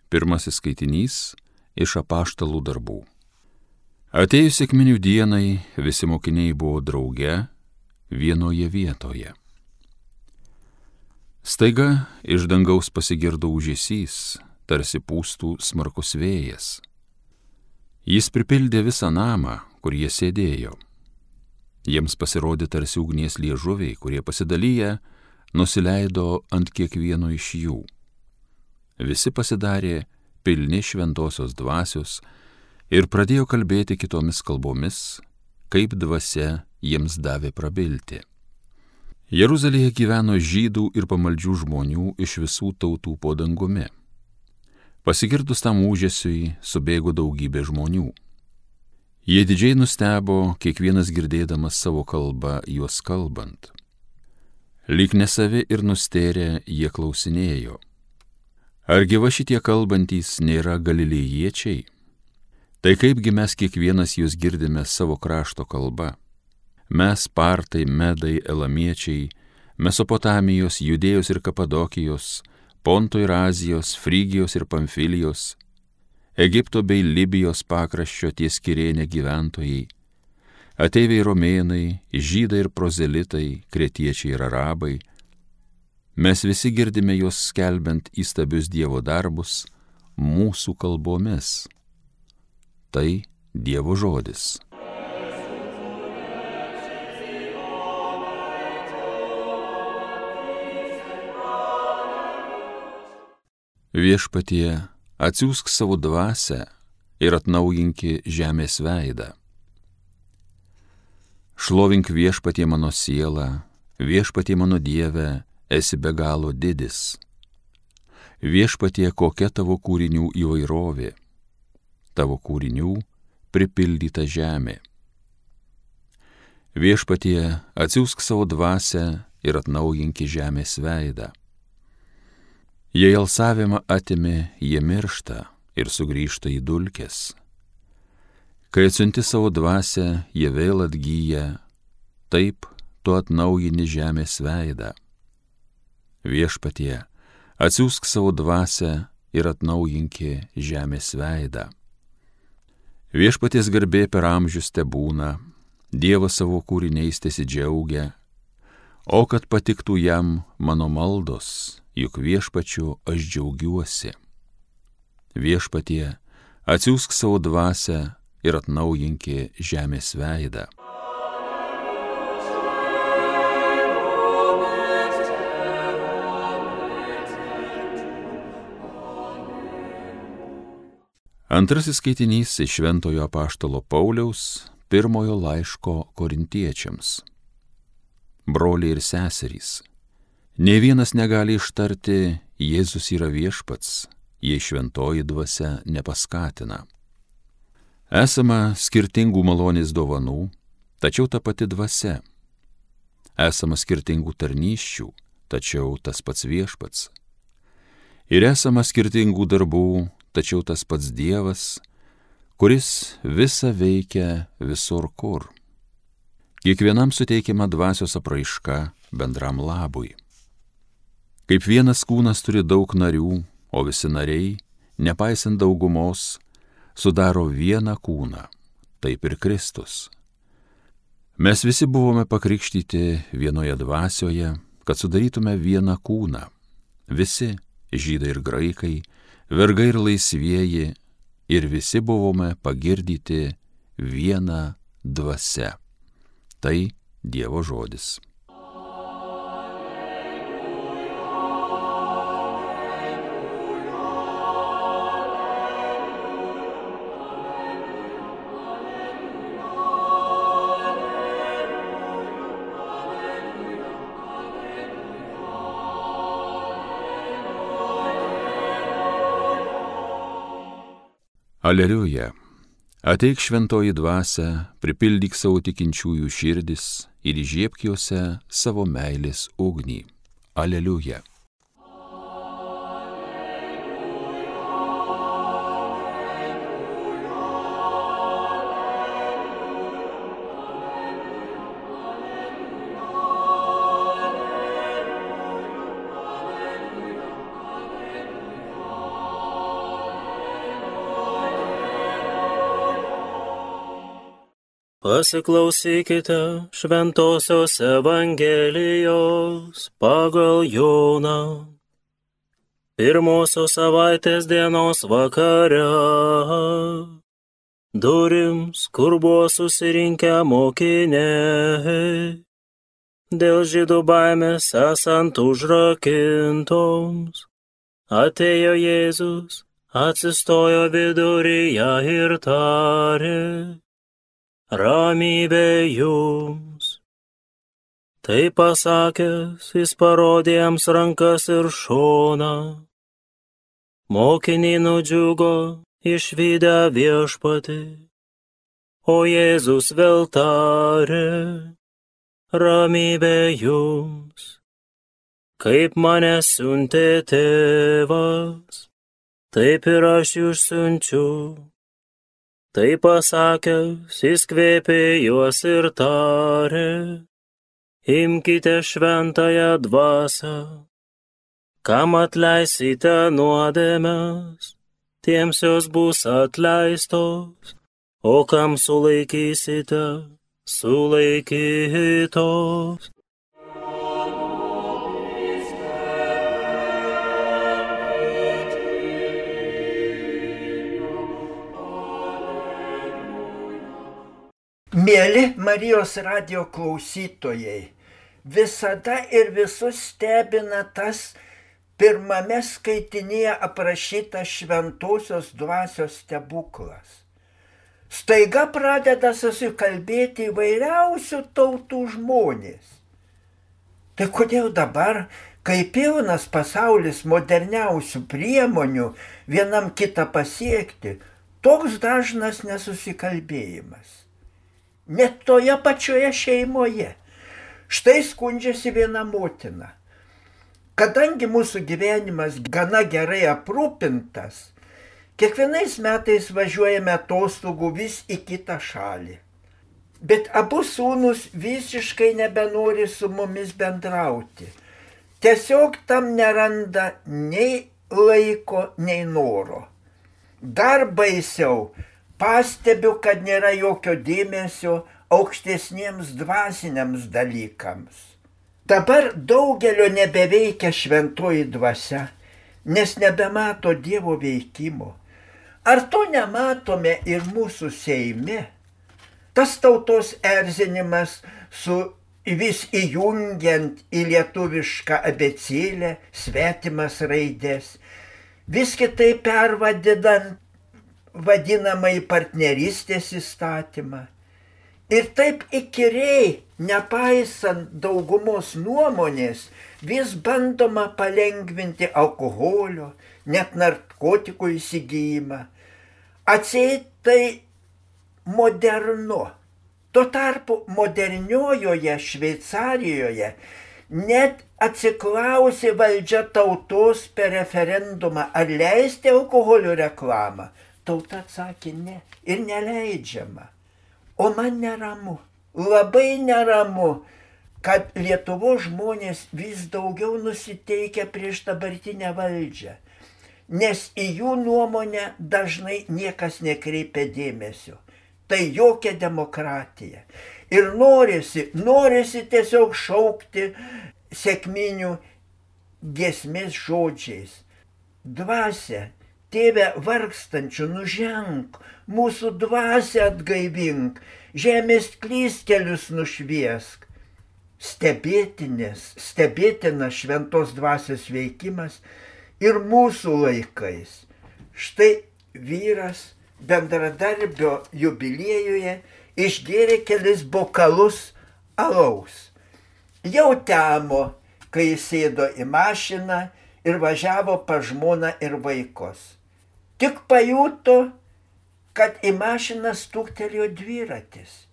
Pirmasis skaitinys iš Apaštalų darbų. Atėjus sekminių dienai, visi mokiniai buvo drauge vienoje vietoje. Staiga iš dangaus pasigirdo ūžesys, tarsi pūstų smarkus vėjas. Jis pripildė visą namą, kur jie sėdėjo. Jiems pasirodė tarsi ugnies liežuviai, kurie pasidalyję nusileido ant kiekvieno iš jų. Visi pasidarė pilni šventosios dvasios ir pradėjo kalbėti kitomis kalbomis, kaip dvasia jiems davė prabilti. Jeruzalėje gyveno žydų ir pamaldžių žmonių iš visų tautų po dangumi. Pasigirdus tam ūžesiui, subėgo daugybė žmonių. Jie didžiai nustebo, kiekvienas girdėdamas savo kalbą juos kalbant. Lyg nesavi ir nustėrę jie klausinėjo: argi va šitie kalbantys nėra galilėjiečiai? Tai kaipgi mes kiekvienas jūs girdime savo krašto kalba? Mes, partai, medai, elamiečiai, Mesopotamijos, Judėjos ir Kapadokijos, Ponto ir Azijos, Frygijos ir Pamfilijos, Egipto bei Libijos pakraščio ties Kirėne gyventojai, ateiviai romėnai, žydai ir prozelitai, kretiečiai ir arabai, mes visi girdime juos skelbiant įstabius Dievo darbus mūsų kalbomis. Tai Dievo žodis. Viešpatie, atsiųsk savo dvasią ir atnaujinki žemės veidą. Šlovink Viešpatie mano sielą, Viešpatie mano Dieve, esi be galo didis. Viešpatie, kokia tavo kūrinių įvairovė, tavo kūrinių pripildyta žemė. Viešpatie, atsiųsk savo dvasią ir atnaujinki žemės veidą. Jei alsavimą atimi, jie miršta ir sugrįžta į dulkes. Kai atsiunti savo dvasią, jie vėl atgyja, taip tu atnaujini žemės veidą. Viešpatie, atsiųsk savo dvasią ir atnaujinki žemės veidą. Viešpaties garbė per amžius tebūna, Dievas savo kūriniais tesidžiaugia, o kad patiktų jam mano maldos, juk Viešpačiu aš džiaugiuosi. Viešpatie, atsiųsk savo dvasią ir atnaujinki žemės veidą. Antrasis skaitinys iš Šventojo apaštalo Pauliaus pirmojo laiško korintiečiams. Broliai ir seserys, nė vienas negali ištarti Jėzus yra viešpats, jei šventoji dvasia nepaskatina. Esama skirtingų malonės dovanų, tačiau ta pati dvasia. Esama skirtingų tarnysčių, tačiau tas pats viešpats. Ir esama skirtingų darbų, tačiau tas pats Dievas, kuris visa veikia visur kur. Kiekvienam suteikiama dvasios apraiška bendram labui. Kaip vienas kūnas turi daug narių, o visi nariai, nepaisant daugumos, sudaro vieną kūną, taip ir Kristus. Mes visi buvome pakrikštyti vienoje dvasioje, kad sudarytume vieną kūną. Visi, žydai ir graikai, vergai ir laisvieji, ir visi buvome pagirdyti viena dvasia. Tai Dievo žodis. Aleliuja. Ateik šventoji dvasia, pripildyk savo tikinčiųjų širdis ir įžiebk juose savo meilės ugnį. Aleliuja. Pasiklausykite Šventosios Evangelijos pagal Joną. Pirmosios savaitės dienos vakare durims, kur buvo susirinkę mokiniai, dėl žydų baimės esant užrakintoms, atėjo Jėzus, atsistojo viduryje ir tarė: ramybė jums. Tai pasakęs, jis parodė jiems rankas ir šoną. Mokiniai nudžiugo išvydę viešpatį, o Jėzus vėl tarė: ramybė jums. Kaip mane siuntė tėvas, taip ir aš jūs siunčiu. Tai pasakęs, jis kvėpė juos ir tarė: imkite šventąją dvasią. Kam atleisite nuodėmes, tiems jos bus atleistos, o kam sulaikysite, sulaikytos. Mieli Marijos radijo klausytojai, visada ir visus stebina tas pirmame skaitinyje aprašytas šventosios dvasios stebuklas. Staiga pradeda susikalbėti įvairiausių tautų žmonės. Tai kodėl dabar, kai pilnas pasaulis moderniausių priemonių vienam kitą pasiekti, toks dažnas nesusikalbėjimas? Net toje pačioje šeimoje. Štai skundžiasi viena motina. Kadangi mūsų gyvenimas gana gerai aprūpintas, kiekvienais metais važiuojame atostogų vis į kitą šalį. Bet abu sūnus visiškai nebenori su mumis bendrauti. Tiesiog tam neranda nei laiko, nei noro. Dar baisiau, pastebiu, kad nėra jokio dėmesio aukštesniems dvasiniams dalykams. Dabar daugelio nebeveikia šventoji dvasia, nes nebemato Dievo veikimo. Ar to nematome ir mūsų Seime? Tas tautos erzinimas su vis įjungiant į lietuvišką abėcėlę svetimas raidės, vis kitaip pervadinant vadinamai partnerystės įstatymą. Ir taip įkyriai, nepaisant daugumos nuomonės, vis bandoma palengvinti alkoholio, net narkotikų įsigijimą. Atseit tai modernu. Tuo tarpu moderniojoje Šveicarijoje net atsiklausė valdžia tautos per referendumą, ar leisti alkoholio reklamą. Tauta atsakė ne ir neleidžiama. O man neramu, labai neramu, kad Lietuvos žmonės vis daugiau nusiteikia prieš dabartinę valdžią, nes į jų nuomonę dažnai niekas nekreipia dėmesio. Tai jokia demokratija. Ir norisi tiesiog šaukti sekminių giesmės žodžiais: dvasia, Tėve vargstančių, nuženk, mūsų dvasią atgaivink, žemės klystkelius nušviesk. Stebėtinas šventos dvasios veikimas ir mūsų laikais. Štai vyras bendradarbio jubiliejuje išgėrė kelis bokalus alaus. Jau temo, kai jis sėdo į mašiną ir važiavo pas žmoną ir vaikus. Tik pajuto, kad į mašiną stuktelėjo dviratis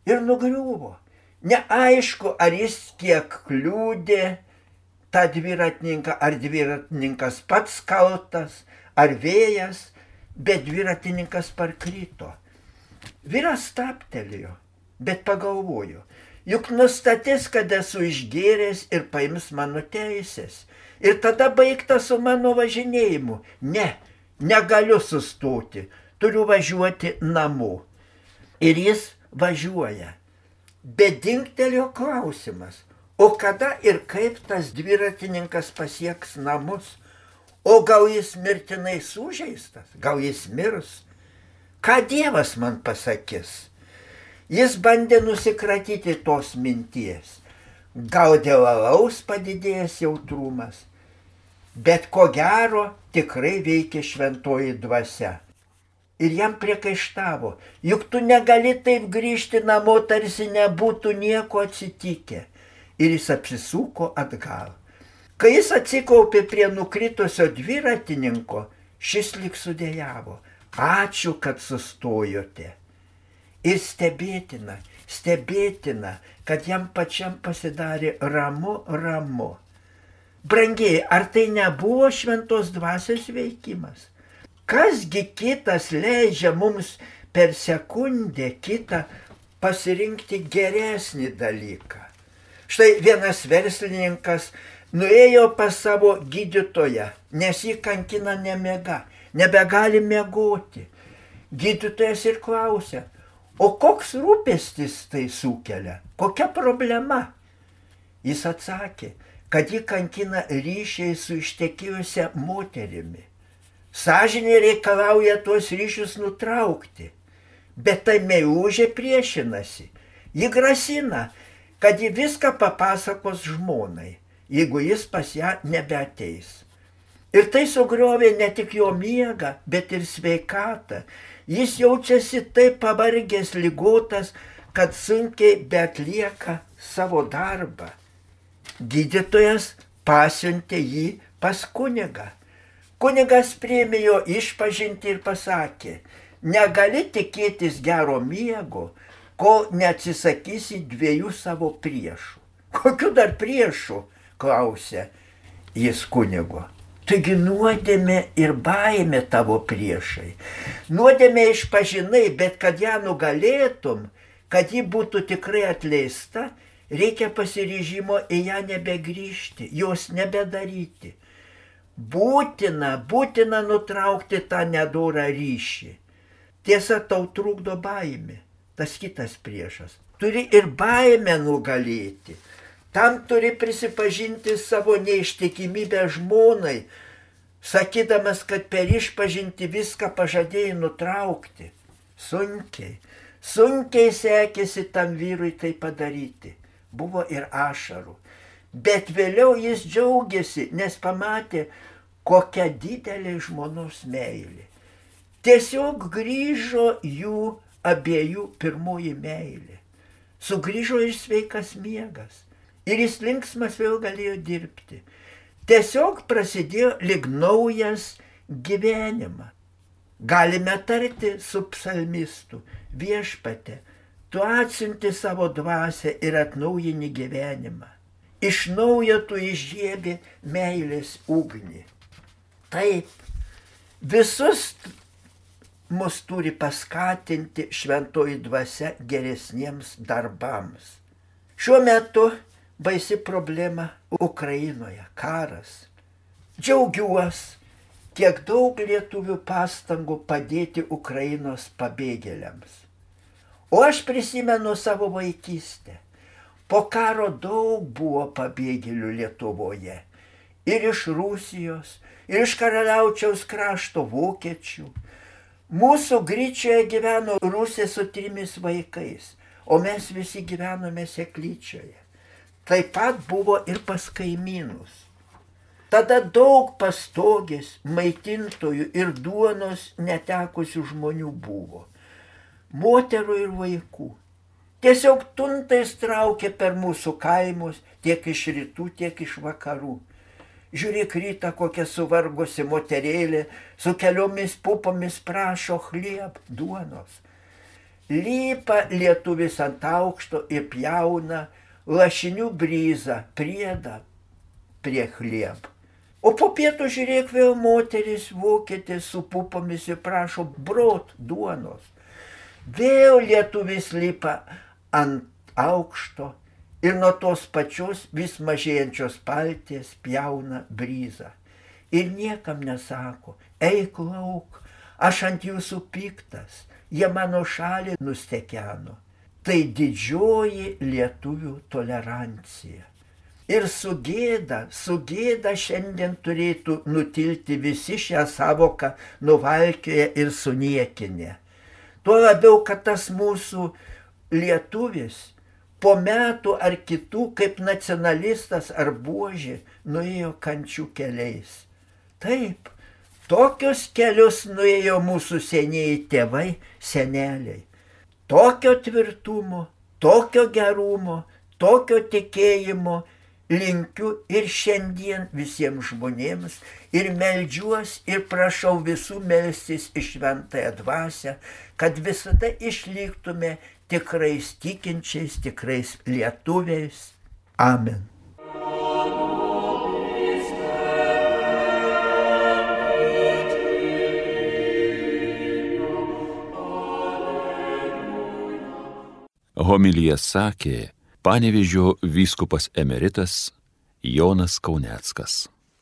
ir nugriuvo. Neaišku, ar jis kiek kliudė tą dviratininką, ar dviratininkas pats kaltas, ar vėjas, bet dviratininkas parkrito. Vyras stabtelėjo, bet pagalvojo, juk nustatys, kad esu išgėręs ir paims mano teisės. Ir tada baigta su mano važinėjimu. Negaliu sustoti, turiu važiuoti namo. Ir jis važiuoja. Bet dingtelėjo klausimas, o kada ir kaip tas dviratininkas pasieks namus? O gal jis mirtinai sužeistas, gal jis mirs? Ką Dievas man pasakys? Jis bandė nusikratyti tos minties. Gal dėl alaus padidėjęs jautrumas, bet ko gero tikrai veikia šventoji dvasia. Ir jam priekaištavo, juk tu negali taip grįžti namo, tarsi nebūtų nieko atsitikę. Ir jis apsisuko atgal. Kai jis atsikaupė prie nukritusio dviratininko, šis lyg sudejavo. Ačiū, kad sustojote. Ir stebėtina, kad jam pačiam pasidarė ramu. Brangiai, ar tai nebuvo šventos dvasios veikimas? Kasgi kitas leidžia mums per sekundę kitą pasirinkti geresnį dalyką? Štai vienas verslininkas nuėjo pas savo gydytoją, nes jį kankina nemiega, nebegali miegoti. Gydytojas ir klausia, o koks rūpestis tai sukelia, kokia problema? Jis atsakė, kad jį kankina ryšiai su ištekėjusia moterimi. Sąžinė reikalauja tuos ryšius nutraukti, bet tai meilužė priešinasi. Ji grasina, kad ji viską papasakos žmonai, jeigu jis pas ją nebeateis. Ir tai sugriovė ne tik jo miegą, bet ir sveikatą. Jis jaučiasi taip pavargęs, ligotas, kad sunkiai beatlieka savo darbą. Gydytojas pasiuntė jį pas kunigą. Kunigas priėmė jo išpažintį ir pasakė, negali tikėtis gero miego, kol neatsisakysi 2 savo priešų. Kokių dar priešų? Klausė jis kunigo. Taigi nuodėmė ir baimė tavo priešai. Nuodėmė išpažinai, bet kad ją nugalėtum, kad ji būtų tikrai atleista, reikia pasiryžimo į ją nebegrįžti, jos nebedaryti. Būtina nutraukti tą nedorą ryšį. Tiesa, tau trukdo baimė, tas kitas priešas. Turi ir baimę nugalėti. Tam turi prisipažinti savo neištikimybę žmonai, sakydamas, kad per išpažinti viską pažadėjai nutraukti. Sunkiai sekėsi tam vyrui tai padaryti. Buvo ir ašarų. Bet vėliau jis džiaugiasi, nes pamatė, kokia didelė žmonos meilė. Tiesiog grįžo jų abiejų pirmoji meilė. Sugrįžo ir sveikas miegas. Ir jis linksmas vėl galėjo dirbti. Tiesiog prasidėjo lyg naujas gyvenimas. Galime tarti su psalmistu, Viešpatie, tu atsiunti savo dvasią ir atnaujini gyvenimą. Iš naujo tu įžiebė meilės ugnį. Taip, visus mus turi paskatinti šventoji dvasia geresniems darbams. Šiuo metu baisi problema Ukrainoje, karas. Džiaugiuosi, kiek daug lietuvių pastangų padėti Ukrainos pabėgėliams. O aš prisimenu savo vaikystę. Po karo daug buvo pabėgėlių Lietuvoje. Ir iš Rusijos, ir iš Karaliaučiaus krašto vokiečių. Mūsų Gryčioje gyveno Rusė su 3 vaikais, o mes visi gyvenome Seklyčioje. Taip pat buvo ir pas kaimynus. Tada daug pastogės, maitintojų ir duonos netekusių žmonių buvo. Moterų ir vaikų. Tiesiog tuntais traukė per mūsų kaimus, tiek iš rytų, tiek iš vakarų. Žiūrėk, rytą kokia suvargusi moterėlė su keliomis pupomis prašo chlieb, duonos. Lipa lietuvis ant aukšto ir pjauna lašinių bryzą, priedą prie chlieb. O po pietų žiūrėk, vėl moteris vokietė su pupomis ir prašo brot, duonos. Vėl lietuvis lipa ant aukšto ir nuo tos pačios vis mažėjančios palties pjauna bryzą. Ir niekam nesako, eik lauk, aš ant jūsų piktas, jie mano šalį nustekeno. tai didžioji lietuvių tolerancija. Ir su gėda šiandien turėtų nutilti visi šią savoką nuvalkioję ir suniekinę. Tuo labiau, kad tas mūsų lietuvis po metų ar kitų kaip nacionalistas ar buožė nuėjo kančių keliais. Taip, tokius kelius nuėjo mūsų senieji tėvai, seneliai. Tokio tvirtumo, tokio gerumo, tokio tikėjimo linkiu ir šiandien visiems žmonėms ir meldžiuos ir prašau visų melstis į šventąją dvasią, kad visada išliktume tikrais tikinčiais, tikrais lietuviais. Amen. Homiliją sakė Panevėžio vyskupas emeritas Jonas Kauneckas.